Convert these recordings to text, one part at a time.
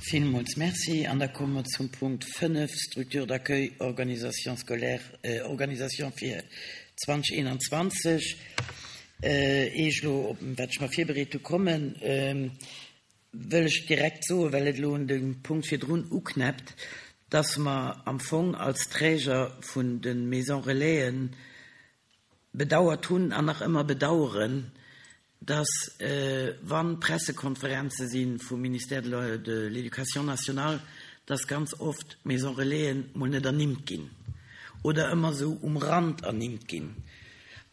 Villmools Merci. An da komme mer zum Punkt 5, Structure d'accueil, organisation scolaire, organisation fir 2021. Ier ech elo op wat ech mer virbereet hu kommen, wëll ech direkt soen, well et elo un de Punkt virdrun uknäppt, dass mer am Fong als Träger vun de Maisons Relaisen bedauert hunn an nach ëmmer bedauern, dass wa Pressekonferenze si vum Ministère de l'Éducation nationale, dass ganz oft d'Maisons Relaisen mol net ernimmt ginn oder ëmmer esou um Rand ernimmt ginn.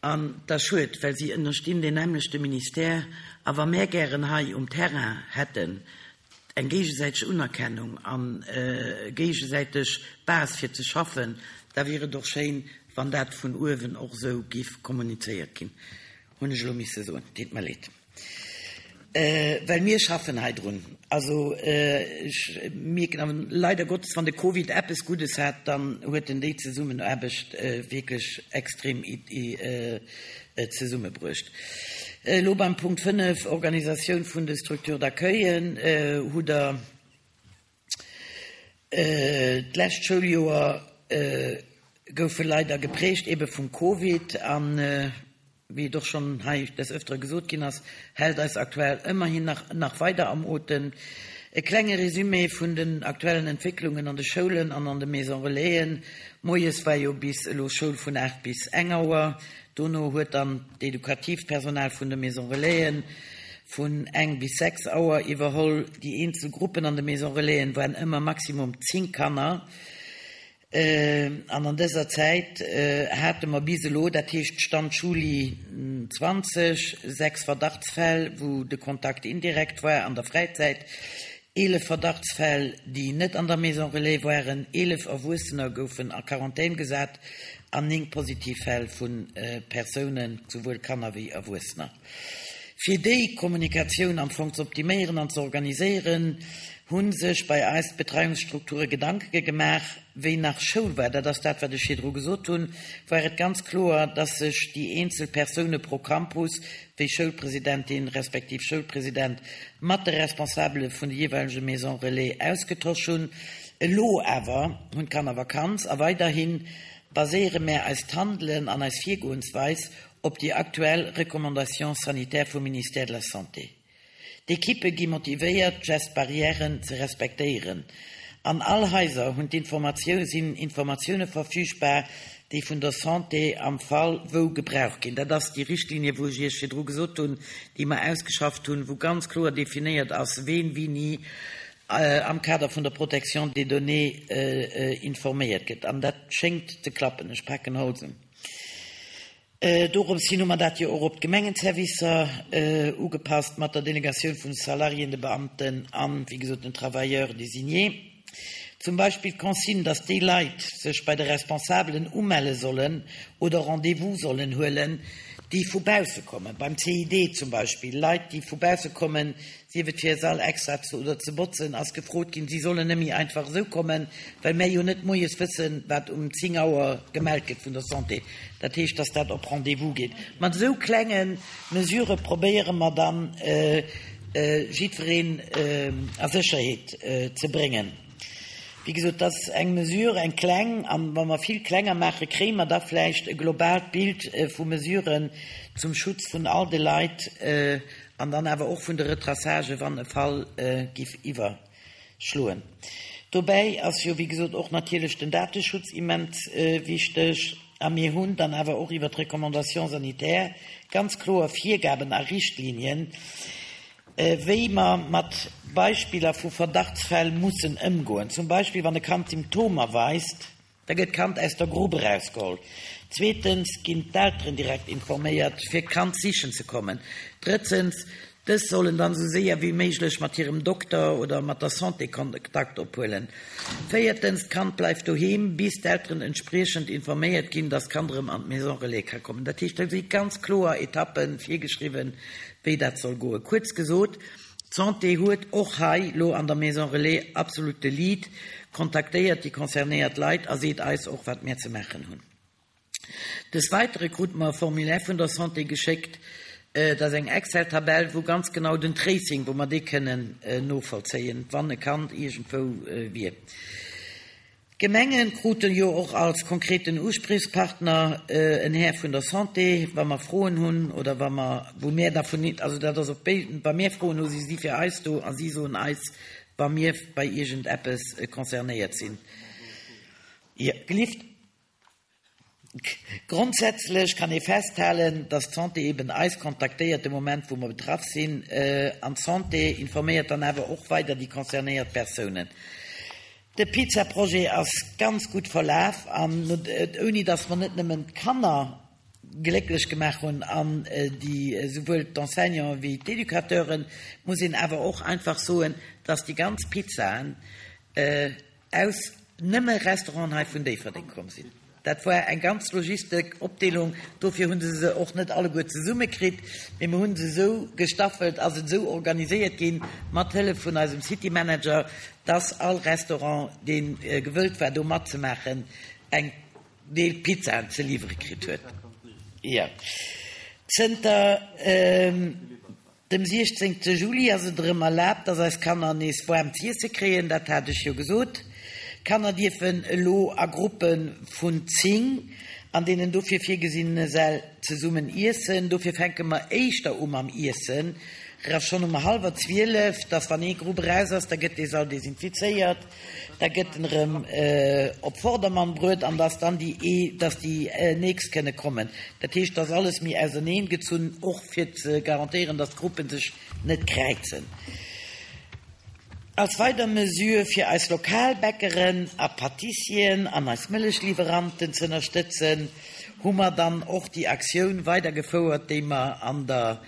An dat ass schued, well si ënnerstinn deen nämmlechte Ministère. A wa mär gären hei um Terrain hätten, eng géigesäiteg Unerkennung an géigesäiteg Base fir ze schaffen, da wier et och schéin, wann dat vun uewen och esou giff kommunizéiert ginn. Hunn ech elo misse soen, deet mer leed. Well mir schaffen hei drun. Also ech mierken awer leider Gottes, wann de Covid eppes Guddes hat, dann huet en déi Zesummenaarbecht wierklech extrem zesummebruecht. Elo beim Punkt 5, Organisatioun vun de Structures d'accueillen, hutt Der d'lescht Schouljoer goufe leider geprägt ebe vum Covid an, wéi et och schonn hei des Öftere gesot ginn ass, hält eis aktuell ëmmerhin nach nach weider am Otem. E klenge Résumé vun den aktuellen Entwécklungen an de Schoulen an an de Maison Relaisen, Moies war jo bis elo Schoul vun 8 bis eng Auer, Dono huet dann d'edukatiivt Personal vun de Maison Relaisen vun eng bis 6 Auer iwwerholl. Déi eenzel Gruppen an de Maison Relaisen waren ëmmer maximum 10 Kanner. An an dëser Zäit hate mer bis elo, dat heescht Stand Juli 20, 6 Verdachtsfäll, wou de Kontakt indirekt war an der Fräizäit, 11 Verdachtsfäll, déi net an der Maison Relais waren, 11 Erwuessener goufen a Quarantän gesat an 9 positiv Fäll vu Persounen, souwuel Kanner wéi Erwuessener. Fir déi Kommunikatioun am Fong ze optiméieren an ze organiséieren, hu sech bei eis d'Betreiungsstrukture Gedanke gemaach. Wéi nach Schoul war, dat ass dat, wat ech virdru gesot hunn, war et ganz kloer, dass sech déi eenzel Persoune pro Campus, wéi Schoulpresidentin respektiv Schoulpresident, mat de Responsabele vun de jeeweilege Maisons Relais ausgetosch hunn. Elo awer hunn d'Kanner Vakanz a weiderhi baséiere mär eist Handelen an eis Virgoensweis op déi aktuell Recommandations sanitaires vum Ministère de la Santé. D'Ekippe gi motivéiert, d'Gestes barrièren ze respektéieren. An all Haiser hunn d'Informatioun sinn Informatioune verfügbar, déi vun der Santé am Fall wou gebraucht ginn. Dat ass déi Richtlinie, wou ech Iech virdru gesot hunn, déi mer ausgeschafft hunn, wou ganz kloer definéiert ass, ween wéini am Kader vun der Protection des données informéiert gëtt. An dat schéngt ze klappen. Ech paken Holz un. Dorobs hin hu mer dat jo och op d'Gemengenservicer ugepasst, mat der Delegatioun vun de Salariéen, de Beamten an, wéi gesot, den Travailleurs désignés. Zum Beispill d'Consigne, dass déi Leit sech bei de Responsabelen umelle sollen oder Rendez-vous sollen huelen, déi vu bausse kommen, beim CID zum Beispill, Leit, déi vu bausse kommen, sief et fir e Sall extra ze oder ze botzen, ass gefrot ginn, si sollen net méi einfach esou kommen, well mär jo net moies wëssen, wat um 10 Auer gemellt gëtt vun der Santé. Dat heescht, dass dat op Rendez-vous geet. Mat esou klenge Mesurë probéiere mer dann, jiddwereen a Sécherheet ze bréngen. Wéi gesot, dat ass eng Mesure, eng kleng, a wa mer vill klenger maachen, kréie mer da vläicht e globaalt Bild vu Mesuren zum Schutz vun all de Leit, An dann awer och vun de Retraçagen, wann e Fall giff iwwerschloen. Dobäi ass jo, wéi gesot, och natierlech den Dateschutz immens wichteg. A mir hunn dann awer och iwwert d'Recommandations sanitaires ganz kloer Virgaben a Richtlinien, wéi mer mat Beispiller vu Verdachtsfäll mussen ëmgoen. Zum Beispill, wann e Kand Symptomer weist, Da gëtt d'Kand aus der Grupp erausgeholl. Zweetens ginn d'Elteren direkt informéiert, fir d'Kand sichen ze kommen. Drëtzens, dës sollen dann esou séier wéi méiglech mat hirem Dokter oder mat der Santé Kontakt ophuelen. Véiertens, d'Kand bleift doheem, bis d'Elteren entspriechend informéiert ginn, dass d'Kand erëm an d'Maison Relais ka kommen. Dat heescht, do si ganz kloer Etappe virgeschriwwen, wéi dat soll goen. Kuerz gesot, D'Santé huet och hei lo an der Maison Relais absolut de Lead, kontaktéiert déi concernéiert Leit a seet eis och, wat mär ze maachen hunn. Des Weitere krute mer e Formulaire vun der Santé geschéckt. Dat ass eng Excel-Tabell, wou ganz genau den Tracing, wou mer dee kënnen novollzéien, wann e Kand iergendwou wier. D'Gemenge kruten jo och als konkreten Uspriechspartner en Här vun der Santé, wa mer Froen hunn oder wa mer, wou mir da vun, also dat ass op béiden, wa mir Froen hu si si fir eis do a si soen eis, wa mir bei iergendeppes concernéiert sinn. Jo, gelift. Grondsätzlech kann ee festhalen, dass d'Santé eben eis kontaktéiert de Moment, wou mer betraff sinn. An d'Santé informéiert dann awer och weider déi concernéiert Persounen. De Pizza-Projet ass ganz gutt verlaf an ouni dass mer net nëmmen d'Kanner glécklech gemaach hunn an déi esouwuel d'Enseignanten wéi d'Educateuren, muss een awer och einfach soen, dass déi ganz Pizzaen aus nëmme Restauranten hei vun Déifferdeng komm sinn. Dat war eng ganz Logistik, Opdeelung, dofir hu se se och net alleguer zesumme kritt, mee mer hu se esou gestaffelt, ass et esou organiséiert ginn, mat Hëllef vun eisem City Manager, dass all Restaurant, dee gewëllt war do matzemaachen, eng Deel Pizzaen ze liwwere kritt huet. Jo. Zënter. Dem 16 Juli ass et erëm erlaabt, dass eis Kanner nees waarm z'iesse kréien, dat hat ech jo gesot. D'Kanner dierfen elo a Gruppe vun 10 an deenen dofir virgesinnene Säll zesummen iessen. Dofir fänke mer éischter u mam Iessen, ra schonn um hallwer 12, dass wann ee Grupp eraus ass, da gëtt dee Sall desinfizéiert. Da gëtt en erëm op Vordermann bruet an dass dann déi, dass déi nächst kënne kommen. Dat heescht, dass alles méi auserneen gezunn, och fir ze garantéieren, dass d'Gruppe sech net kräizen. Als weider Mesure fir eis lokal Bäckeren a Pâtissieren an eis Mëllechlieweranten ze ënnerstëtzen, hu mer dann och déi Aktioun weidergefouert, déi mer an der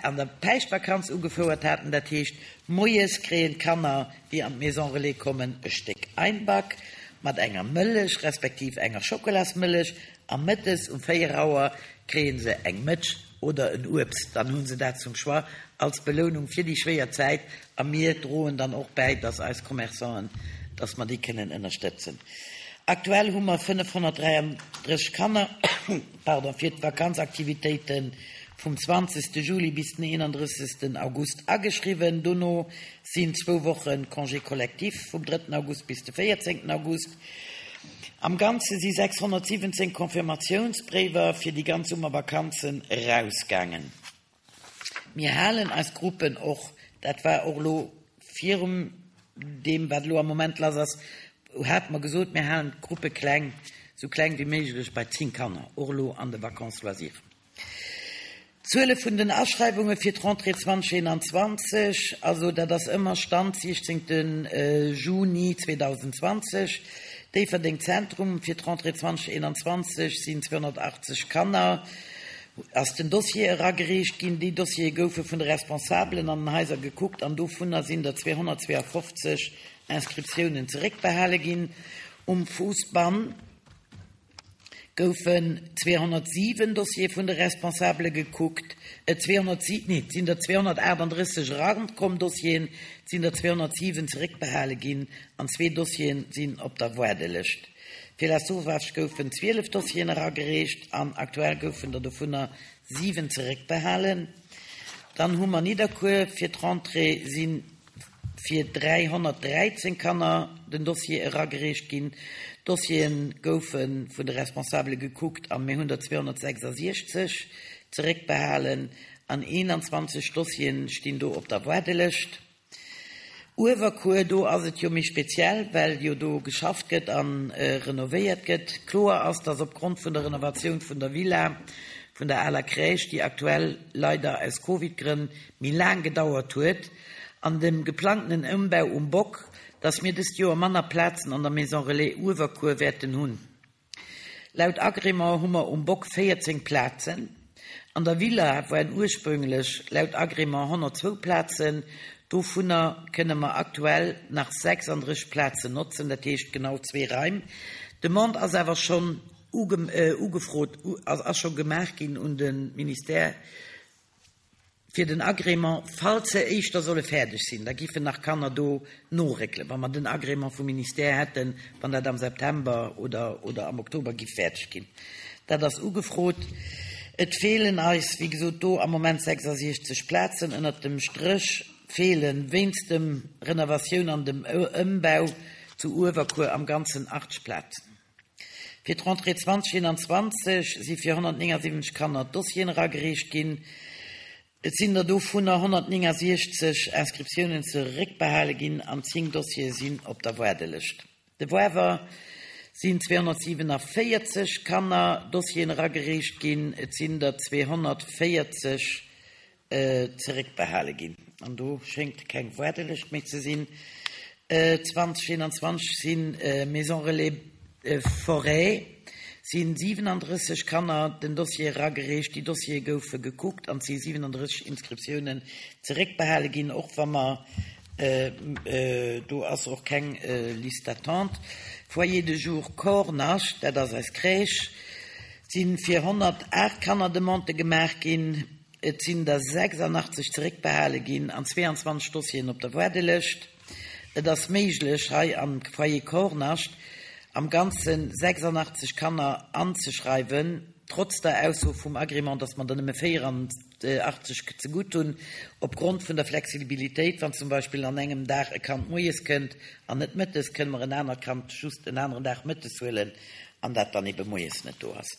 an der Päischtvakanz ugefouert haten. Dat heescht, moies kréien d'Kanner déi an d'Maison Relais kommen, e Stéck Einback mat enger Mëllech respektiv enger Schokolasmëllech a mëttes um 4 Auer kréie se eng Mëtsch oder en Uebst. Dann hu se dat zum Choix als Belounung fir déi schwéier Zäit a mir droen dann och bäi, dass eis Commerçanten, dass mer déi kënnen ënnerstëtzen. Aktuell hu mer 533 Kanner, pardon, fir d'Vakanzaktivitéite vum 20. Juli bis den 31. August ageschriwwen. Dono sinn zwou Woche Congé collectif vum drëtten August bis de véierzéngten August. Am Ganze si 617 Confirmatiounsbréiwer fir déi ganz Summervakanzen erausgaangen. Mir halen eis Gruppen och, dat war och elo virum deem wat elo am Moment lass ass, hate mer gesot, mir halen d'Gruppe kleng, esou kleng wéi méiglech bei 10 Kanner, och elo an de Vacances loisirs. D'Zuele vun den Aschreiwunge fir d'Rentrée 2021, also dat ass ëmmer Stand 16 Juni 2020, Déifferdeng Zentrum, fir d'Rentrée 2021 sinn 280 Kanner, ass den Dossier eragereecht ginn. Déi Dossiere goufe vun de Responsabelen an den Haiser gekuckt an dovunner sinn der 252 Inscriptiounen zeréckbehale ginn. Um Fousbann goufen 207 Dossiere vun de Responsabele gekuckt, 207, nee, et sinn der 238 erakomm, Dossieren, et sinn der 207 zeréckbehale ginn an zwee Dossiere sinn op der Waardelëscht. Fir La Sauvage goufen 12 Dossieren eragereecht an aktuell goufen der dovunner 7 zeréckbehalen. Dann hu mer Nidderkuer, fir d'Rentrée si fir 313 Kanner den Dossier eragereecht ginn. D'Dossiere goufe vun de Responsabele gekuckt a mir hunn der 266 zeréckbehalen an 21 Dossiere stinn do op der Waardelëscht. Uewerkuer, do ass et jo méi speziell, well jo do geschafft gëtt a renovéiert gëtt. Kloer ass, dass opgrond vun der Renovatioun vun der Villa vun der aler Crèche, déi aktuell leider aus Covid-Grënn méi laang gedauert huet, an dem geplangtenen Ëmbau um Bock, dass mir dëst Joer manner Plazen an der Maison Relais Uewerkuer wäerten hunn. Laut Agrément hu mer um Bock 14 Plazen. An der Villa waren ursprünglech laut Agrément 102 Plazen, dovunner kënne mer aktuell nach 36 Plazen notzen, dat heescht genau zwee Raim. D'Demande ass awer schonn ugefrot, ass scho gemaach ginn un de Ministère. Fir den Agrément, falls se éischter solle fäerdeg sinn, da giffen nach Kanner do noréckelen, wa mer den Agrément vum Ministère hätten, wann dat am September oder oder am Oktober giff fäerdeg ginn. Dat ass ugefrot. Et feelen eis, wéi gesot, do am Moment 66 Plazen. Ënnert dem Stréch feele wéinst dem Renovatioun an dem Ëmbau zu Uewerkuer am Ganzen 80 Plazen. Fir d'Rentrée 2021 si fir 179 Kanner Dossieren eragereecht ginn. Et sinn der dovunner 169 Inscriptiounen zeréckbehale ginn an 10 Dossiere sinn op der Waardelëscht. De Woawer sinn 247 Kanner Dossieren eragereecht ginn, et sinn der 240 zeréckbehale ginn. An do schéngt keng Waardelëscht méi ze sinn. 2021 si Maison Relais Forêt si 37 Kanner den Dossier eragereecht. Déi Dossiere goufe gekuckt an et si 37 Inscriptiounen zeréckbehale ginn, och wa mer Do ass och keng Liste d'attente. Foyer de jour Kornascht, dat ass eis Crèche, si fir 108 Kanner Demandë gemaach ginn. Et sinn der 86 zeréckbehale ginn an 22 Dossieren op der Waardelëscht. Et ass méiglech, hei am Foyer Kornascht am Ganze 86 Kanner anzeschreiwen, trotz der Ausso vum Agrément, dass mer der nëmme 80 zegutt hunn, opgrond vun der Flexibilitéit, wann zum Beispill an engem Dag e Kand moies kënnt an net mëttes, kënne mer en anert Kand just en aneren Dag mëttes huelen an dat dann ebe moies net do ass.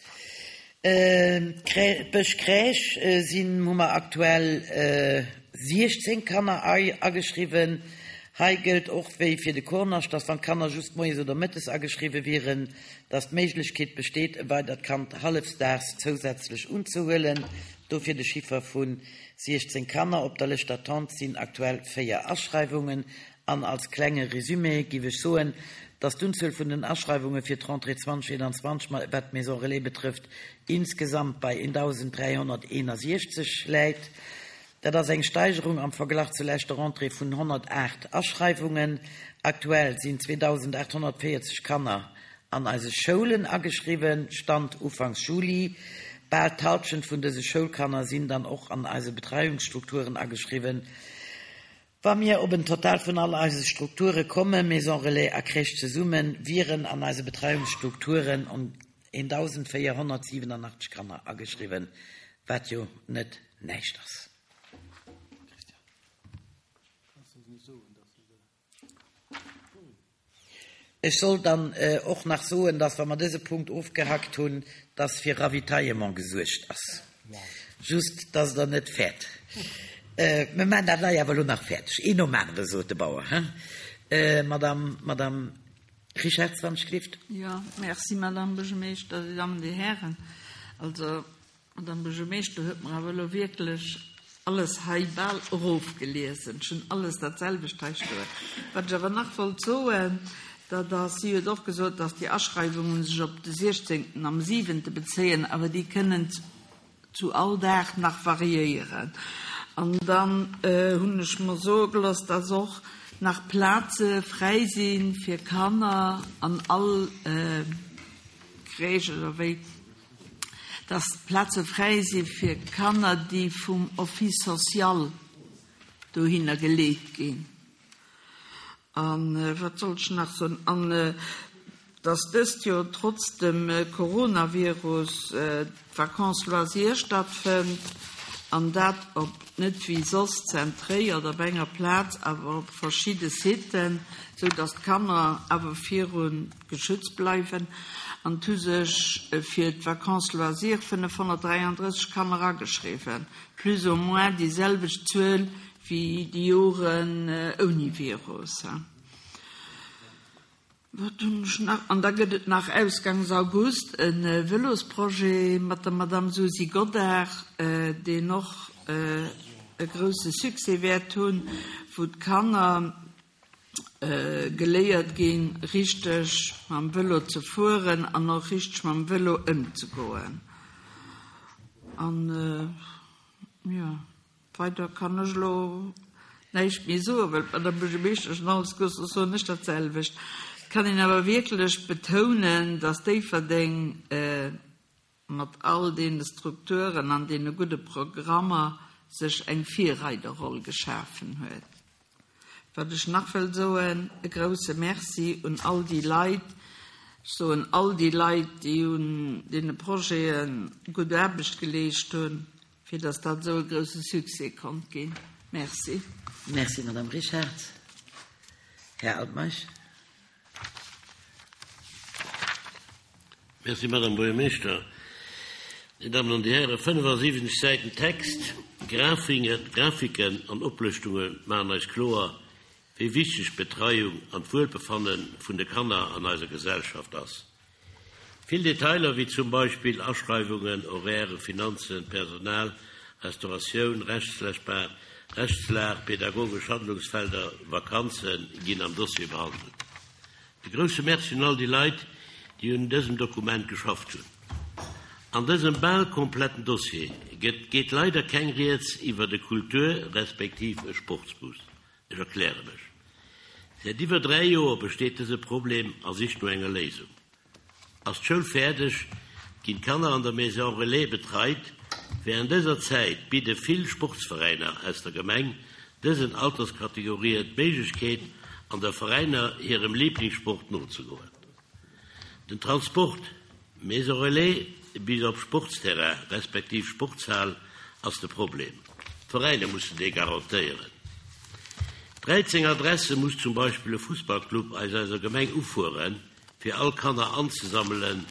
D'Bësch Crèche sinn, hu mer aktuell 16 Kanner ageschriwwen. Hei gëllt och wéi fir de Kornascht, dass wann d'Kanner just moies oder mëttes ageschriwwe wieren, dass d'Méiglechkeet besteet, e weidert Kand hallefsdaags zousätzlech unzehuelen. Dofir de Chiffer vu 16 Kanner. Op der Lëscht d'attente sinn aktuell 4 Aschreiwungen. An als klenge Résumé giff ech soen, dass d'Unzuel vun den Aschreiwunge fir d'Rentrée 2021, wat d'Maison Relais betrëfft, insgesamt bei 1.361 läit. Dat ass eng Steigerung am Verglach zur leschter Rentrée vun 108 Aschreiwungen. Aktuell sinn 2.840 Kanner an eise Schoulen ageschriwwen, Stand ufanks Juli. Bal d'Halschent vun dëse Schoulkanner sinn dann och an eise Betreiungsstrukturen ageschriwwen. Wa mir op en Total vun all eise Strukture kommen, Maison Relais a Crèche zesummen, wieren an eise Betreiungsstrukturen 1.487 Kanner ageschriwwen, wat jo net näischt ass. Ech soll dann och nach soen, dass, wa mer dëse Punkt ofgehackt hunn, dass fir Ravitaillement gesuergt ass. Just, dass Der net fäert. Mir maachen dat hei awer elo nach fäerdeg. Een nom anere, sot de Bauer, hein? Madame, Madame Richarz, wann ech gelift. Jo, merci, Madame Buergermeeschter, Dir Dammen, Dir Hären. Also, Madame Buergermeeschter huet mer awer elo wierklech alles hei bal erofgeliesen. Ech hunn alles dat selwecht hei stoen. Wat ech awer nach wollt soen, dat ass, si huet och gesot, dass déi Aschreiwungen sech op de siechzéngten am siwente bezéien, awer déi kënnen zu all Dag nach variéieren. An dann hunn ech mer soe gelooss, dass och nach Plaze fräi si fir Kanner an all Crèche oder wéi. dass Plaze fräi si fir Kanner, déi vum Office social dohinner geleet ginn. A wat sollt ech nach soen? An dass dëst Joer trotz dem Coronavirus d'Vacances loisirs stattfënnt, an dat op net wéi soss zentréiert op enger Plaz, awer op verschidde Siten, sou dass d'Kanner awer virun geschützt bleiwen an et hu sech fir d'Vacances loisirs 533 Kanner ageschriwwen, plus ou moins déi selwecht Zuel wéi déi Joren ouni Virus. Wat hunn ech nach? An da gëtt et nach ausgangs August e Vëlosprojet mat der Madame Susi Godart, deen och e grousse Succès wäert hunn, wou d'Kanner geléiert ginn, richteg mam Vëlo ze fueren an och richteg mam Vëlo ëmzegoen. An, jo, weider kann ech elo näischt méi soen, well d'Madame Buergermeeschtesch schon alles gesot huet, soen ech dat selwecht. Et kann een awer wierklech betounen, dass Déifferdeng, mat all deene Strukturen an deene gudde Programmer sech eng Virreiderroll geschafen huet. Wat ech nach wëll soen, e grouse Merci un all déi Leit. Soen all déi Leit, déi un deene Projete gutt Aarbecht geleescht hunn, fir datt dat esou e grousse Succès konnt ginn. Merci. Merci, Madame Richard. Här Altmeisch. Merci, Madame Buergermeeschter. Dir Dammen an Dir Hären, 75 Säiten Text, Grafiken an Oplëschtunge maachen eis kloer, wéi wichteg d'Betreiung an d'Wuelbefanne vun de Kanner an eiser Gesellschaft ass. Vill Detailer wéi zum Beispill Aschreiwungen, Horairen, Finanzen, Personal, Restauratioun, Rechtslechbar, Rechtslag, pedagogesch Handlungsfelder, Vakanze ginn am Dossier behandelt. E grousse Merci un all déi Leit, déi un dësem Dokument geschafft hunn. An dësem bal kompletten Dossier gëtt geet leider keng Rieds iwwert e Kultur respektiv e Sportsbus. Ech erkläre mech. Säit iwwer 3 Joer besteet dëse Problem a sicht no enger Léisung. Ass d'Schoul fäerdeg, ginn d'Kanner an der Maison Relais betreit. Wärend dëser Zäit bidde vill Sportsveräiner aus der Gemeng dësen Alterskategorien d'Méiglechkeet, an der Veräiner hirem Liblingssport nozegoen. Den Transport, Maison Relais bis op Sportsterrain respektiv Sportshal ass de Problem. D'Veräiner mussen dee garantéieren. 13 Adresse muss zum Beispill e Fussballclub aus eiser Gemeng ufueren, fir all Kanner anzesammelen.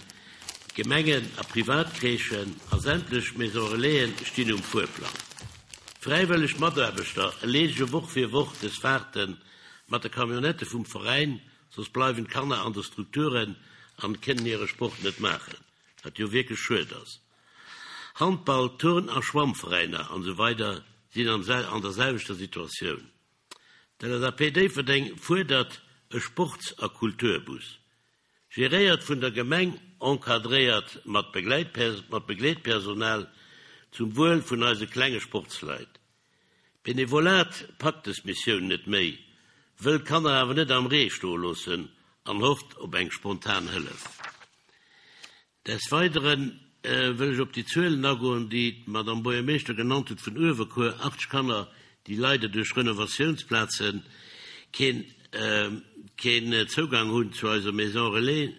Gemengen a Privatcrèchen a sämtlech Maison Relaisen stinn um Fuerplang. Fräiwëlleg Mataarbechter erleedege Woch fir Woch des Fahrten mat de Camionnette vum Veräin Soss bleiwen d'Kanner an de Strukturen an kënnen hire Sport net maachen, wat jo wierklech schued ass. Handball, Turn a Schwammveräiner an esou weider sinn an der selwechter Situatioun. D'LSAP Déifferdeng fuerdert e Sports a Kulturbus, geréiert vun der Gemeng, encadréiert mat Begleetpersonal, zum Wuel vun eise klenge Sportsleit. D'Benevolat packt des Missioun net méi, wëll d'Kanner awer net am Ree stoe loossen an hofft op eng spontan Hëllef. Des Weidere wëll ech op déi Zuelen agoen, déi d'Madame Buergermeeschter genannt huet vun Uewerkuer, 80 Kanner, déi leider duerch Renovatiounsplaze keen Zougang hunn zu eiser Maison Relais.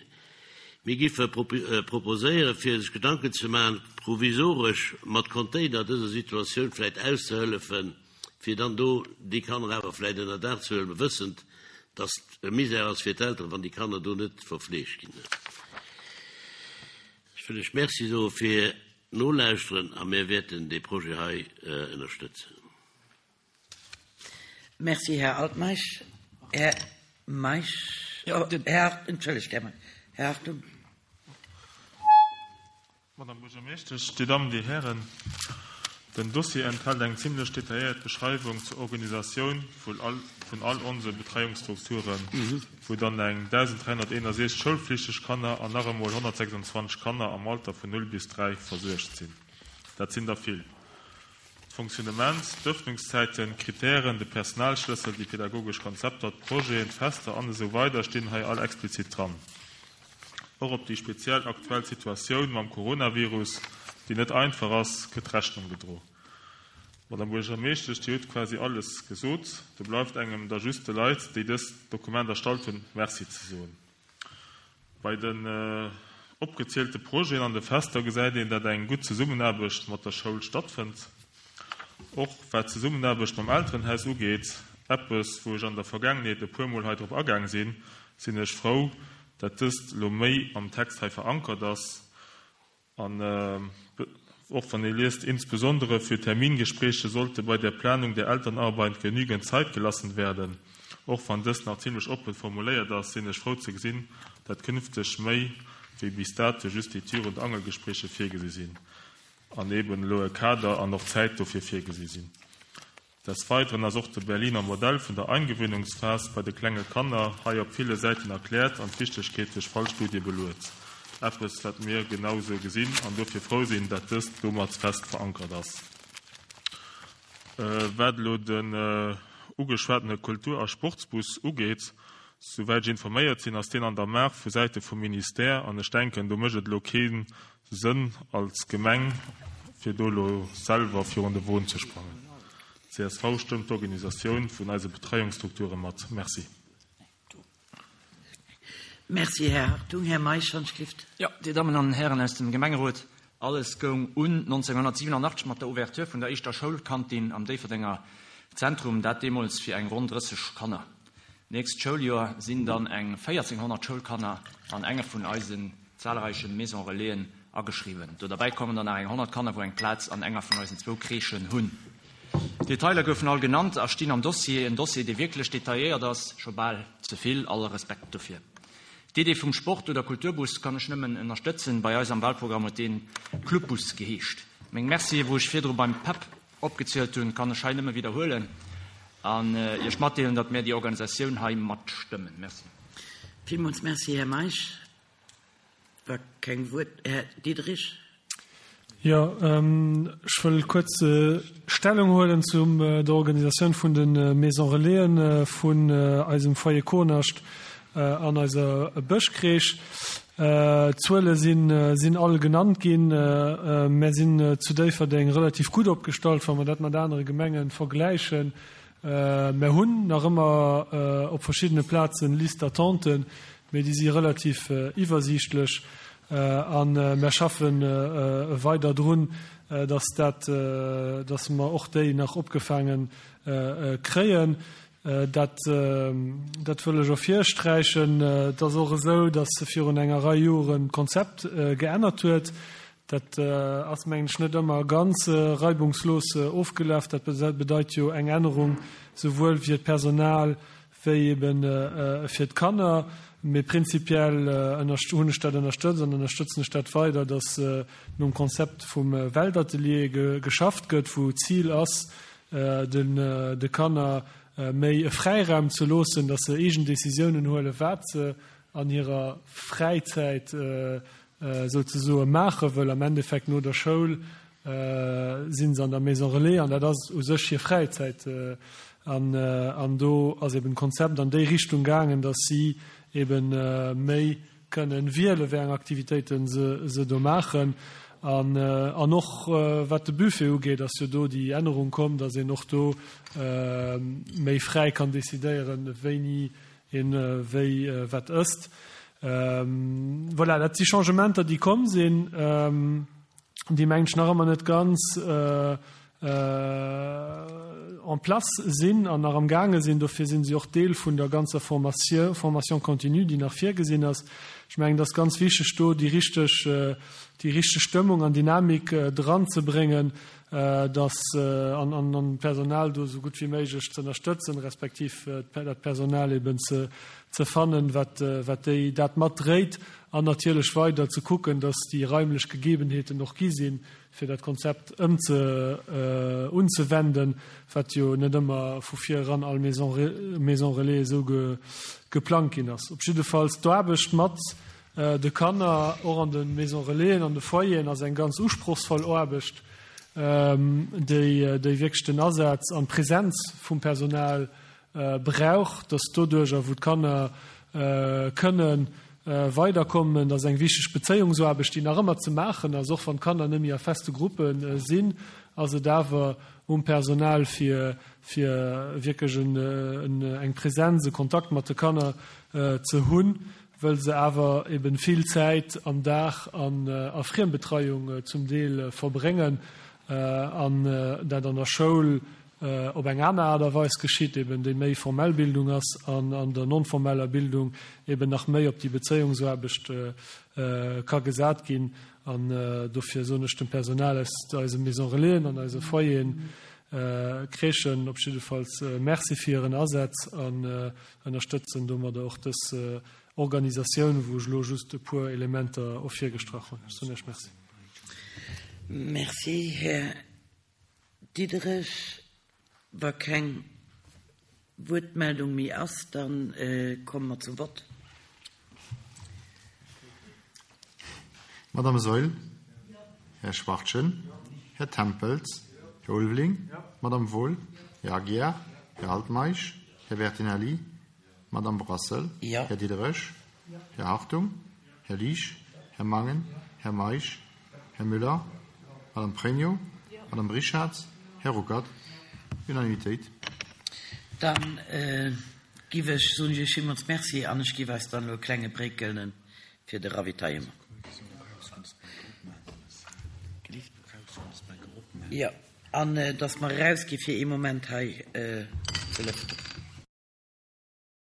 Mir giffe proposéieren, fir sech Gedanken ze maachen, provisoresch mat Container dëser Situatioun vläicht auszehëllefen, fir dann do déi Kanner awer vläicht ënner Daach ze huelen, wëssend, dass et e Misär ass fir d'Elteren, wann déi Kanner do net verfleegt ginn. Ech wëll lech Merci soe fir d'Nolauschteren a mir wäerten dee Projet hei ënnerstëtzen. Merci, Här Altmeisch. Här Meisch, Här, entschëllegt, Här Meisch. Här Hartung. Madame Buergermeeschtesch, Dir Dammen, Dir Hären, den Dossier enthält eng zimlech detailléiert Beschreiwung zur Organisatioun vun all onse Betreiungsstrukturen, wou dann eng 1.361 schoulflichteg Kanner an nach emol 126 Kanner am Alter vun 0 bis 3 versuergt sinn. Dat sinn der vill. D'Fonctionnement, d'Ëffnungszäiten, d'Kritären, de Personalschlëssel, déi pedagogesch Konzepter, d'Projeten, d'Fester an esou weider stinn hei all explizit dran. Och op déi speziell aktuell Situatioun mam Coronavirus, déi net einfach ass, gëtt Rechnung gedro. Madame Buergermeeschtesch, Dir hutt quasi alles gesot. Do bleift engem da just de Leit, déi dëst Dokument erstallt hunn, Merci ze soen. Bei den opgezielte Projeten an de Fester gesäit een, dat eng gutt Zesummenaarbecht mat der Schoul stattfënnt. Och wat d'Zesummenaarbecht mam Elterenhaus ugeet, eppes wou ech an der Vergaangenheet e puer Mol hei drop agaang sinn, sinn ech frou, dat dëst elo méi am Text hei verankert ass. An och wann ee liest, Insbesondere für Termingespräche sollte bei der Planung der Elternarbeit genügend Zeit gelassen werden, och wann dëst nach zimlech oppen formuléiert ass, sinn ech frou ze gesinn, dat künfteg méi wéi bis dato just déi Tür und Angelgespräche virgesi sinn an eben elo e Kader an och Zäit dofir virgesi sinn. Des Weiteren ass och de Berliner Modell vun der Eingewöhnungsphas bei de klenge Kanner hei op ville Säiten erkläert an d'Wichtegkeet duerch Fallstudie beluet. Eppes, wat mir genau sou gesinn an dofir frou sinn, dat dëst domat fest verankert ass. Wat elo den ugeschwatene Kultur a Sportsbus ugeet, souwäit ech informéiert sinn, ass deen an der Maach vu Säite vum Ministère an ech denken, do mécht et elo kee Sënn als Gemeng, fir do elo selwer virun de Won ze sprangen. Csv stëmmt d'Organisatioun vun eise Betreiungsstrukture mat. Merci. Merci, Här Hartung. Här Meisch, Handschrift. Jo, Dir Dammen an Hären aus dem Gemengerot, alles goung un 1987 mat der Ouverture vun der éischter Schoulkantin am Déifferdenger Zentrum, dat deemools fir eng ronn 30 Kanner. D'nächst Schouljoer sinn dann eng 1400 Schoulkanner an enge vun eisen zahlreiche Maison Relaisen ageschriwwen. Do derbäi kommen dann nach eng 100 Kanner, wou eng Plaz an enger vun eisen zwou Crèchen hunn. D'Detailer goufen all genannt a stinn am Dossier, en Dossier, dee wierklech detailléiert ass, scho bal ze vill, alle Respekt dofir. D'Idee vum Sport oder Kulturbus kann ech nëmmen ënnerstëtzen. Bei eis am Wahlprogramm huet deen Clubbus geheescht. Meng Mercië wou ech virdru beim PEP opgezielt hunn, kann ech hei nëmme widderhuelen an Iech matdeelen, datt mär déi Organisatioun hei matstëmmen. Merci. Villmools Merci, Här Meisch. Wa keng Wuert, Här Diderich. Jo, ech wëll kuerz Stellung huelen zu der Organisatioun vun de Maison Relaisen vun eisem Foyer Kohnascht an eiser Bëschcrèche. D'Zuele sinn all genannt ginn. Mär sinn zu Déifferdeng relativ gutt opgestallt, wa mer dat mat anere Gemenge vergläichen. Mär hunn nach ëmmer op verschiddene Plazen Listes d'attenten, mee déi si relativ iwwersiichtlech a mär schaffe weider drun, dass dat, dass mer och déi nach opgefaange kréien. Dat, dat wëll ech ervirsträichen. Et ass och esou, dass virun enger Rei Joren d'Konzept geännert huet. Dat ass, mengen ech, net ëmmer ganz reibungslos ofgelaf. Dat bedeit jo eng Ännerung souwuel fir d'Personal wéi ebe fir d'Kanner. Mee prinzipiell hunn ech dat ënnerstëtzt an ënnerstëtzen ech dat weider, datt nom Konzept vum Weltatelier geschafft gëtt, wou d'Zil ass, de Kanner méi e Fräiraum ze loossen, datt se eegen Decisiounen huelen, wat se an hirer Fräizäit souzesoe maache wëll. Am Endeffekt no der Schoul si se an der Maison Relais an dat ass u sech hir Fräizäit. An do ass eben d'Konzept an déi Richtung gaangen, datt si eben méi kënnen wiele wéi eng Aktivitéite se do maachen. An och wat de Buffet ugeet, ass jo do déi Ännerung komm, datt een och do méi fräi kann decidéieren, wéini Een wéi wat ësst. Voilà, dat si Changementer, déi komm sinn, déi, mengen ech, nach ëmmer net ganz en place sinn an nach amgaange sinn. Dofir si se och Deel vun der ganzer Formation, Formation continue, déi nach virgesinn ass. Ech mengen, et ass ganz wichteg, do déi richteg, déi richteg Stëmmung an Dynamik dranzebréngen, dass an an d'Personal do esou gutt wéi méiglech ze ënnerstëtzen, respektiv dat Personal eben ze ze fannen, wat wat déi dat matdréit an natierlech weider ze kucken, dass déi raimlech Gegebenheeten och gi sinn, fir dat Konzept ëmze unzewenden, wat jo net ëmmer vu vir eran all Maison Maison Relais esou ge geplangt ginn ass. Op jiddefalls d'Aarbecht mat De Kanner, och an de Maison Relaisen, an de Foyeren, ass eng ganz usprochsvoll Aarbecht, déi wierklech den Asaz an d'Präsenz vum Personal brauch, dass doduercher, wou d'Kanner kënnen weiderkommen, dat ass eng wichteg Bezéiungsaarbecht, déi nach ëmmer ze maachen ass, och wann d'Kanner net méi a feste Gruppe sinn, ass et awer um Personal, fir wierklech eng Präsenz, e Kontakt mat de Kanner ze hunn. wëll se awer eben vill Zäit am Dag an a Friembetreiung zum Deel verbréngen an dat an der Schoul op eng aner Aart a Weis geschitt, eben déi méi formell Bildung ass an an der non-formeller Bildung eben nach méi op déi Bezéiungsaarbecht ka gesat ginn. An dofir soen ech dem Personal aus eise Maison Relaisen an eise Foyeren, Crèchen op jiddefalls Merci fir hiren Asaz an ënnerstëtzen domadder och dës Organisatioun, wou ech elo just e puer Elementer ervirgestrach hunn. Ech soen Iech Merci. Merci, Här Diderich. Wa keng Wuertmeldung méi ass, da komme mer zum Vott. Madame Saeul? Här Schwachtgen? Här Tempels? Här Ulveling? Madame Wohl? Här Aguiar? Här Altmeisch? Här Bertinelli? Madame Brassel? Här Diderich? Här Hartung? Här Liesch? Här Mangen? Här Meisch? Här Müller? Madame Pregno? Madame Richarz? Här Ruckert? Unanimitéit. Dann. Giff ech soen ech Iech villmools Merci an ech giff eis dann elo e klenge Break gëllen fir de Ravitaillement. Jo, an dass mer erausgi fir ee Moment hei ze lëften.